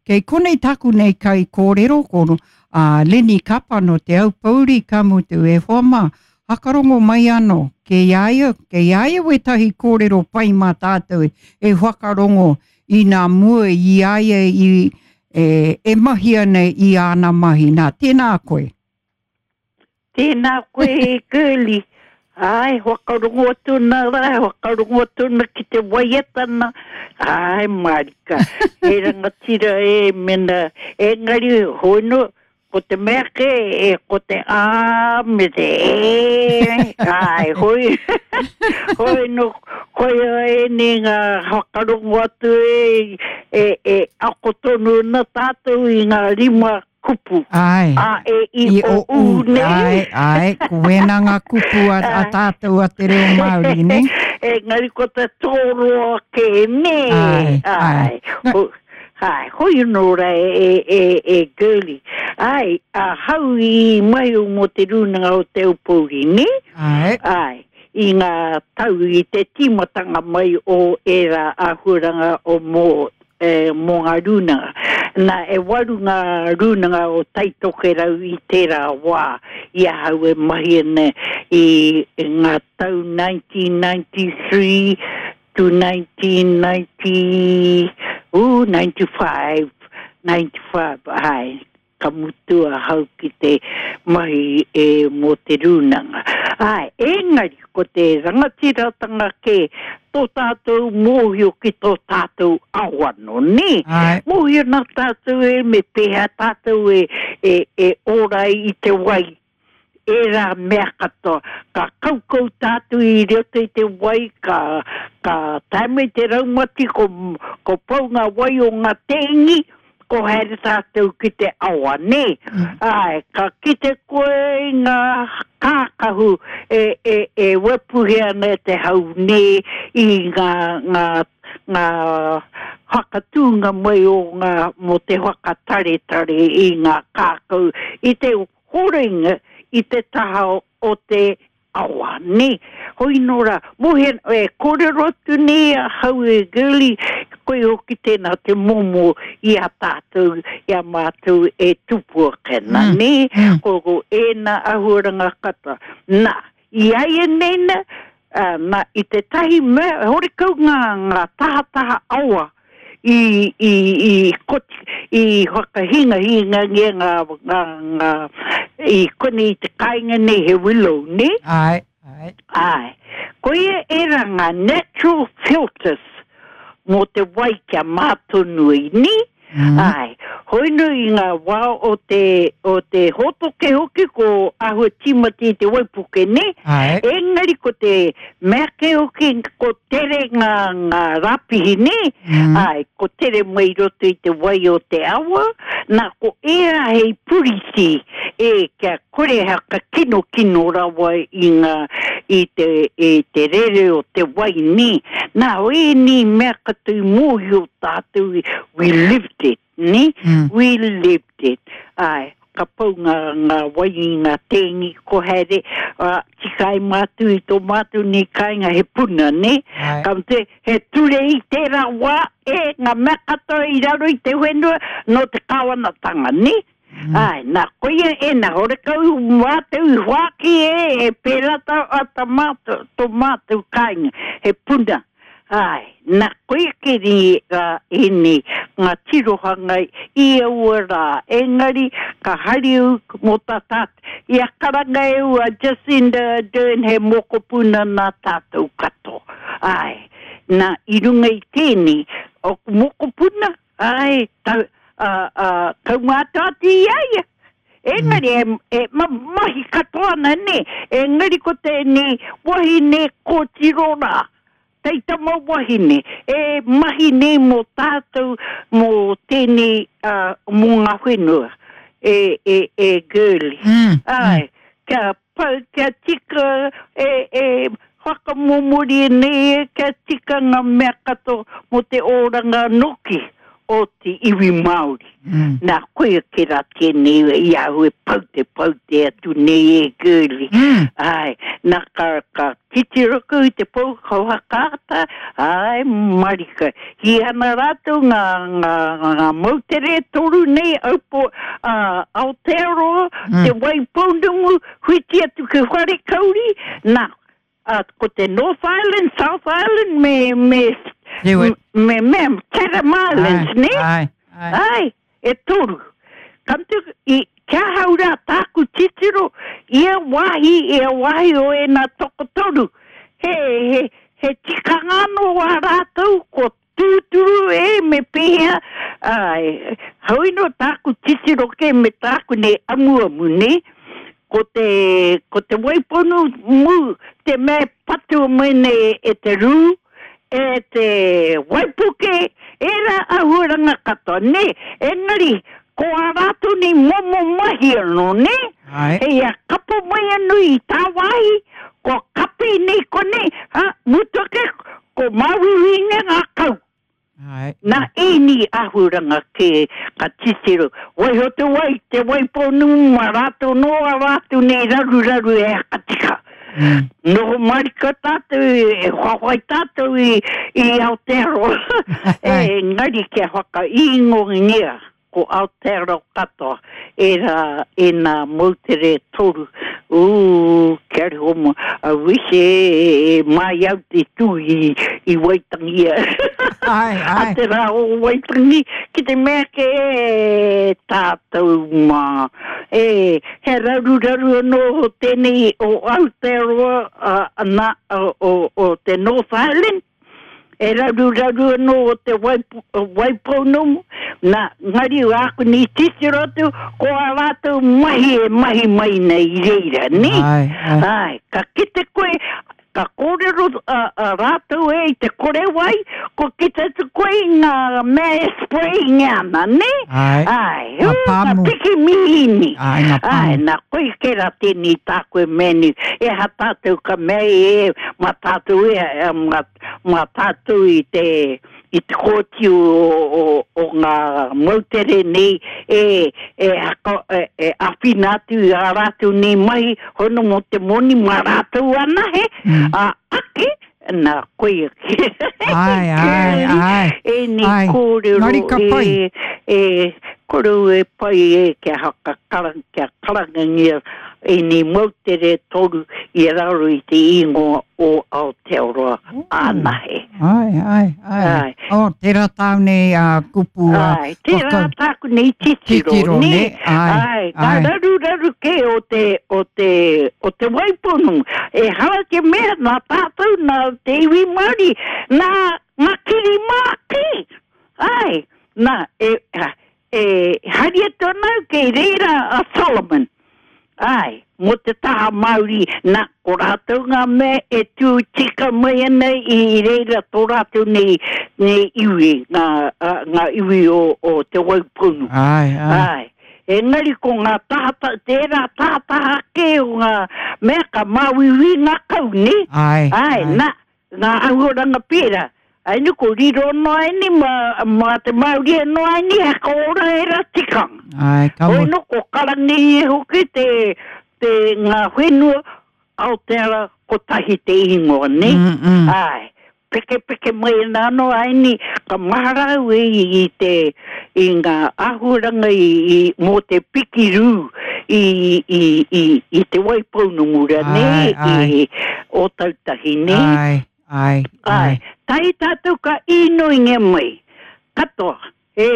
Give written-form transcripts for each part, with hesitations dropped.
Kei konei tāku nei kaikōrero ko a Lenny Kapa nō Te Aupōuri, ka mutu, e hoa mā, whakarongo mai anō, kei a ia, kei a ia wētahi kōrero pai mā tātou e whakarongo i nā mua i a ia i, e, e mahi ana i āna mahi. Nā, tēnā koe. Tēnā koe e Girlie. Āe, whakarongo atu ana rā, whakarongo atu ana ki te waiata na. Āe, mārika. He rangatira e mena. Engari, hoi no, ko te mea kē, e, ko te ā me te e. Āe, hoi, hoi no, koia ēnei ngā whakarongo atu e, e, e ako tonu ana tātou i ngā rima kupu. Āe. A, E, I, O, U, nē? Āe, āe, ko wēnā ngā kupu a, a tātou a te reo Māori, nē? Engari ko te tōroa kē, nē? Āe, āe. Āe. Āe, hoi anō rā e, e, e, e Girlie. Āe, ahau i mahi mō te Rūnanga o Te Aupōuri, nē? Āe. Āe, i ngā tau i te tīmatanga mai o ērā āhuaranga o mō e, mō ngā rūnanga. Nā, e waru ngā rūnanga o Taitokerau i tērā wā i ahau e mahi ana i ngā tau 1993 to 1990, ooh, 95, 95, āe. Ka mutu ahau ki te mahi e mō te rūnanga. Āe, engari ko te rangatiratanga kē tō tātou mōhio ki tō tātou ao anō, nē? Āe. Mōhio nā tātou e me pēhea tātou e, e, e ora ai i te wai, ērā mea katoa. Ka kaukau tātou i roto i te wai, ka, ka tae mai te raumati, ko, ko pau ngā wai o ngā tēngi, ko haere tātou ki te awa, nē? Āe, ka kite koe i ngā kākahu e, e, e wepuhe ana e te hau, nē, i ngā, ngā, ngā whakatūnga mai o ngā, mō te whakataretare i ngā kākau, i te horinga i te taha o te awa, nē. Hoi nō rā, mōhio, e kōrero atu nei ahau e Girlie, koe hoki tēnā te momo i a tātou, i a mātou e tupu ake ana, nē, ko, ko ēnā āhuaranga katoa. Nā, i āianei nā, ā, nā, i tētahi mea, horekau ngā, ngā tahataha awa i, i, i koti, i whakahingahingangia ngā, ngā, ngā, i konei i te kāinga nei he willow, nē? Āe, āe. Āe. Koia ērā ngā natural filters mō te wai kia mā tonu ai, nē? Āe. Hoi nō i ngā wā o te, o te hōtoke hoki ko āhua tīmata i te waipuke, nē? Āe. Engari ko te mea kē hoki ko tere ngā, ngā rāpihi, nē? Āe, ko tere mai i roto i te wai o te awa, nā ko ērā hei puriti, e, kia kore whakakinokino rawa i ngā, i te, i te rere o te wai, nē? Nā, ēnei mea katoa i mōhio tātou, we lived it, nē? We lived it. Āe, ka pau ngā, ngā wai i ngā tēngi, ko haere, ā, tika ai mātou i tō mātou nei kāinga he puna, nē? Āe. Ka mutu, he ture i tērā wā, e, ngā mea katoa i raro i te whenua, nō te kāwanatanga, nē? Āe, nā, koia ēnā, horekau mātou i whāki e, e pērā tā, a tā mātou, tō mātou kāinga, he puna. Āe, nā, koia keri rā ēnei, ngā tirohanga i aua rā, engari ka hari au mō tā tātou, i a karanga e au a Jacinda Ardern he mokopuna nā tātou katoa. Āe, nā, i runga i tēnei, ōku mokopuna, Āe, tau, ā, ā, kaumātua atu i a ia. Engari, e, e ma, mahi katoa ana, nē. Engari ko tēnei wahine kōtiro rā, taitama wahine, e mahi nei mō tātou, mō tēnei, ā, mō ngā whenua, e, e, e Girlie. Āe, kia Pau kia tika e, e whakamomori nei e kia tika nga mea katoa mo te oranga noki. o te iwi Māori. Nā, koia kē rā tēnei i ahau e pau te pau te atu nei e Girlie. Āe, nā ka, ka titiro kau i te pou whakaata, āe marika. Hī ana rātou ngā, ngā, ngā moutere e toru nei, Aupo, ā, Aotearoa, Te Waipounamu, whiti atu ki Wharekauri, nā, ā, ko te North Island, South Island me, me, me, me Chatham Islands, nē? Āe, āe. Āe, e toru. Ka mutu, i, ki ahau rā tāku titiro, ia wāhi, ia wāhi o ēnā tokotoru, he, he, he tikanga anō ā rātou, ko tūturu e, me pēhea, āe, heoi nō tāku titiro kē me tāku nei amuamu, nē, ko te, ko te waiponu mū, te mea e patua mai nei e te rū, e te waipuke, ērā āhuaranga katoa, nē, engari, ko ā rātou nei momo mahi anō, nē, hei a kapo mai anō i tāwāhi, kua kapi nei konei, ā, mutu ake, ko māuiuinga ngā kau. Nā ēnei āhuaranga kē ka titiro, waiho te wai, te Waipounamu mā rātou nō ā rātou nei raruraru e hakatika. Noho marika tātou, e whawhai tātou i Aotearoa, engari kia whakaīngoangia Ko Aotearoa katoa ērā ēnā moutere e toru, ū, kia riho mo, I wish e, e mai au te tū i, i Waitangi a, Ai, a ai. te rā o Waitangi, ki te mea ke e tātou mā, e, he raruraru anō tēnei o Aotearoa, a, nā, o, o, o te North Island, E raruraru anō o te Waipounamu, nā, ngari āku nei titiro atu, ko ā rātou mahi e mahi mai nei i reira, nē? Āe, āe. Āe, ka kite koe, ka kōrero a rātou e i te kore wai, kua kite atu koe i ngā mea e sprayingia ana, nē? Āe. Āe, Ngā ū, ngā pāmu. piki mīhini. Āe, ngā pāmu. Āe, nā, koe kē rā tēnei tāku e mea nei, e aha tātou ka mea e, mā tātou e, mā, mā tātou i te, i te kōti o, o, o ngā moutere nei e, e, haka, e, e āwhina atu i ā rātou nei mahi hono mō te moni mā rātou anahe, mm. ā, ake, nā, koia ki. Ai, ai, ai. Ēnei ai. kōrero Ngari ka pai. e, e, korou e pai e kia haka karanga, kia karangangia ēnei moutere toru i raro i te ingoa o Aotearoa anahe. Ai, ai, ai. Ai. Oh, tērā tāu nei a kupu a Ai, tērā tāku nei titiro, Titiro, nē? nē? Ai, Ai, ngā ai. raruraru kē o te, o te, o te Waipounamu. Ehara te mea nā tātou, nā te iwi Māori, nā ngā kiri mā kē. Ai, nā, e, e hari atu ana au kei reira a Solomon. Āe, mō te taha Māori, nā, ko rātou ngā mea e tū tika mai ana i reira tō rātou nei, nei iwi, ngā, ngā iwi o, o Te Waipounamu. Āe, āe. Āe. Engari ko ngā tahata, tērā tahataha kē o ngā mea ka māuiui ngā kau, nē? Āe, Āe, nā, Ngā āhuaranga pērā. Ainu ko riro noa aini mā, mā te Māori anō aini he whakaora ērā tikanga. Āe, ka Hoi nō ko Karangi hoki te, te ngā whenua Aoteara kotahi te ingoa, nē? Mm, mm. Āe. Pekepeke mai ana anō aini ka mahara au e i, i te, i ngā āhuaranga i, i, mō te piki rū i, i, i, i Te Waipounamu ra, nē? Āe, āe. I Ōtautahi, nē? Āe, āe, Āe. āe. Tahi tātou ka īnoingia mai, katoa, e,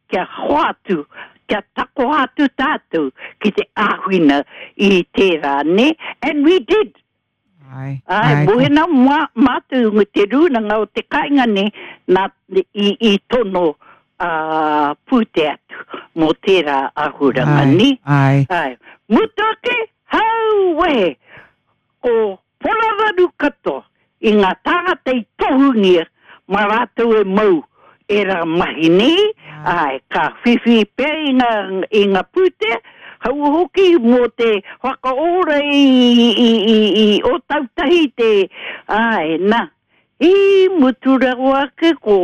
kia hoatu, kia takoha atu tātou ki te āwhina i tērā, nē? And we did. Āe, Āe, āe. mōhena mā, mātou me te rūnanga o te kāinga nei, nā, i, i tono ā, pūtea atu mō tērā āhuranga, Āe, nē? āe. Āe. Mutu ake, hauwehe! Ko Porararu katoa i ngā tāngata i tohungia mā rātou e mau ērā mahi nei, āe, ka whiwhi pea i ngā, i ngā pūtea, haua hoki mō te whakaora i, i, i, i Ōtautahi te, āe, nā, i mutu rawa ake ko.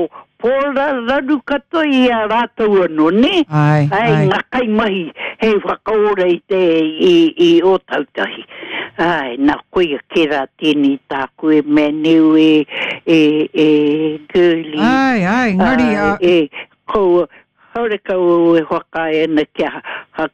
pōrararu katoa i a rātou anō, nē? Āe, Āe, āe. ngā kaimahi hei whakaora i te, i, i Ōtautahi. Āe, nā, koia kē rā tēnei tāku e mea nei e, e, e Girlie. Āe, āe, engari, Āe, ā. e, kaua, horekau au e whakaae ana kia,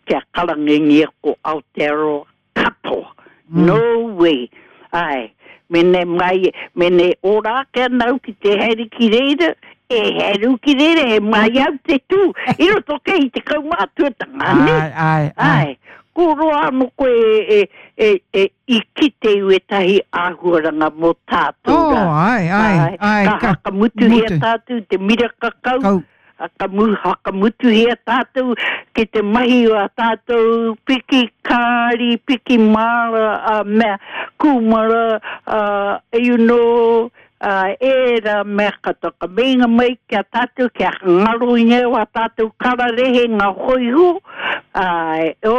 kia karangangia ko Aotearoa katoa. No way. Āe, mene mai, mene ora ake ana au ki te haere ki reira, e haere au ki reira, he mai au te tū, i roto kei i te kaumātuatanga, nē? Āe, āe, āe. Āe, ko roa anō koe e, e, e, i kite i wētahi āhuaranga mō tātou Oh, rā. āe, āe, āe, Ka ka whakamutuhia mutu. tātou te miraka kau, Kau. Whakamutuhia tātou ki te mahi o a tātou piki kāri, piki māra, a mea kūmara, a, you know, a, ērā mea katoa. Ka meinga mai ki a tātou kia ngaro i ngā o a tātou kararehe ngā hōiho, āe, o,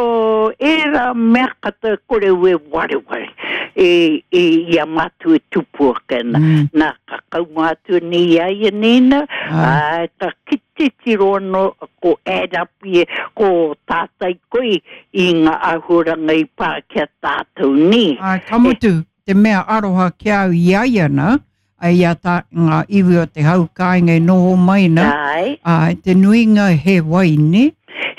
ērā mea katoa e kore au e wareware i, i, i a mātou e tupu ake ana. Nā, ka kaumātua nei i a ia nei na, āe, ka titiro anō ko add up ia, ko tātai koe i ngā āhuaranga i pā ki a tātou nē. Āe, ka mutu te mea aroha ki a au i a ia na, i a tā, ngā iwi o te hau kāinga e noho mai na, Āe. āe, te nuinga he wai, nē?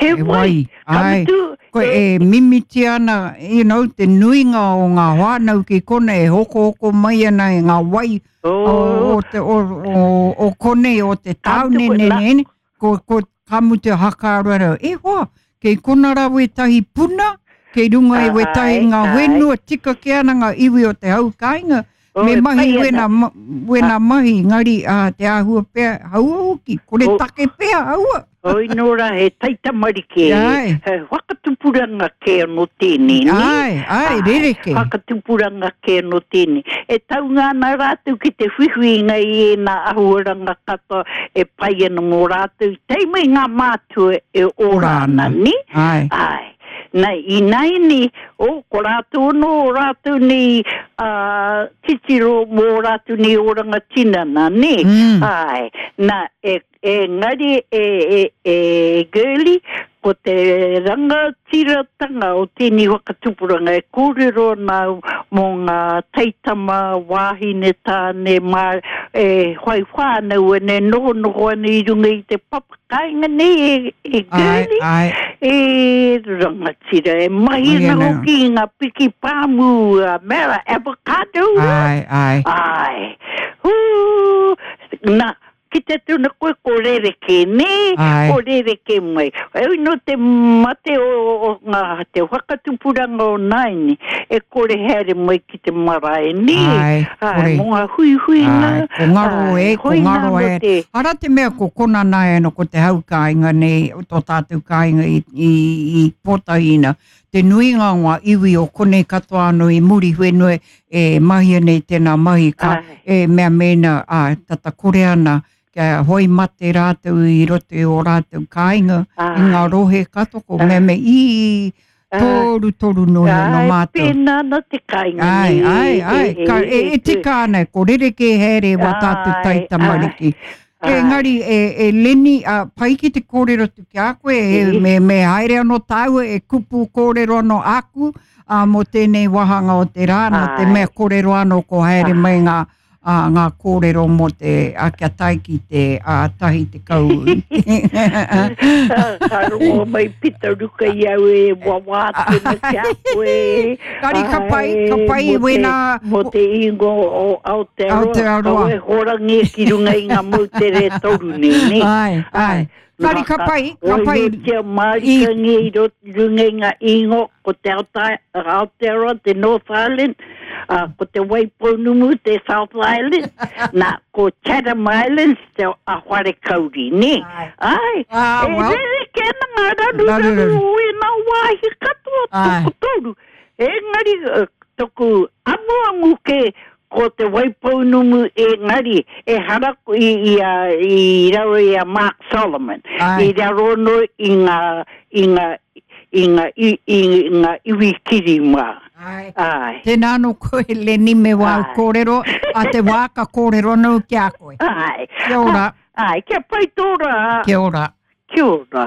He wai, ka Āe, mutu, koe e mimitia ana, you know, te nuinga o ngā whānau ki konei e hokohoko mai ana i ngā wai o, o, te, o, o, o konei, o te tāone, ne, ne, ne, ko, ko, ka mutu hakaaro ana, e hoa, kei kona rā wētahi puna, kei runga i wētahi ngā whenua tika kē ana ngā iwi o te hau kāinga, me mahi wena, wena mahi, engari a, te āhua pea, haua hoki, kore take pea, haua. Oi nō rā, he taitamariki, he whakatupuranga kē anō tēnei, nē? Āe, āe, rerekē. Whakatupuranga kē anō tēnei. E taunga ana rātou ki te whiwhinga i ēnā ahuaranga katoa e pai ana mō rātou, tae mai ngā mātua e ora ana, nē? Āe. Āe. Na, ināianei, oh, ko rātou anō ō rātou nei ā, titiro mō ō rātou nei oranga tinana, nē? Āe. Na, e, engari e, e, e Girlie, ko te rangatiratanga o tēnei whakatupuranga e kōrero ana au mō ngā taitama, wāhine, tāne, mā, e whai whānau ana, e nohonoho ana i runga i te papa Kāinga nei e, e Girlie, Ai, ai. e rangatira, e mahi ana hoki i ngā piki pāmu a mera avocado. Ai, ai. Ai. Hū, nā, ki te tuna koe ko rerekē, nē? Ai. Ko rerekē mai. Heoi nō te mate o, o ngā, te whakatupuranga o nāianei, e kore haere mai ki te marae, nē? Ai, Ai, kore. mō ngā huihuinga. Ai, ko ngaro ai, e, ko hoina ngaro anō e. te- Ara te mea ko kona nāi anō ko te hau kāinga nei, o tō tātou kāinga i, i, i Pōtaihina. Te nuinga o ngā iwi o konei katoa anō i Muriwhenua e mahia nei tēnā mahi ka, Ai. e mea mēnā, ā, tata kore ana kia hoi mate rātou i roto i ō rātou kāinga, i ngā Ai. rohe katoa, ko mea me i, torutoru noa iho nō Ai, mātou. pēnā ana te kāinga Ai, nei, ai, e, ai, e, ka, e, e, e tika ana, ko rerekē haere wā tātou Ai, taitamariki. ai, Engari, e, e Lenny, a, pai ki te kōrero atu ki a koe, e, E. me, me haere anō tāua e kupu kōrero anō āku, ā, mō tēnei wāhanga o te rā, nā te Ai. mea kōrero anō ko haere mai ngā, ā, ngā kōrero mō te, ā, kia tae ki te, ā, 10. Ka rongo mai Pita Ruka i au e wawā atu ana ki a koe. Kari ka pai, ka pai Mō te- wēnā. Mō te ingoa o Aotearoa, Aotearoa. kaua e horangi ki runga i ngā moutere e toru nei, nē? Āe, āe. Kari ka pai, ka pai. Waihotia mārikangia i roto i runga i ngā ingoa, ko te Aotearoa, te North Island, ā, ko te Waipounamu, te South Island, nā, ko Chatham Islands, te a Wharekauri, nē? Āe, Ah, e well. rerekē ana ngā raruraru o ēnā wāhi katoa, tokotoru. Engari, toku amuamu kē, Ko Te Waipounumu engari ehara i, i, a, i raro i a Mark Solomon. Ae. I raro anō i ngā, i ngā, i ngā, i, i ngā iwi kiri mā. Ae. Ae. Tēnā anō koe Lenny me wāu Ae. kōrero, a te wā ka kōrero anō ki a koe. Ae. Kia ora. Āe, kia pai tō rā. Kia ora. Kia ora.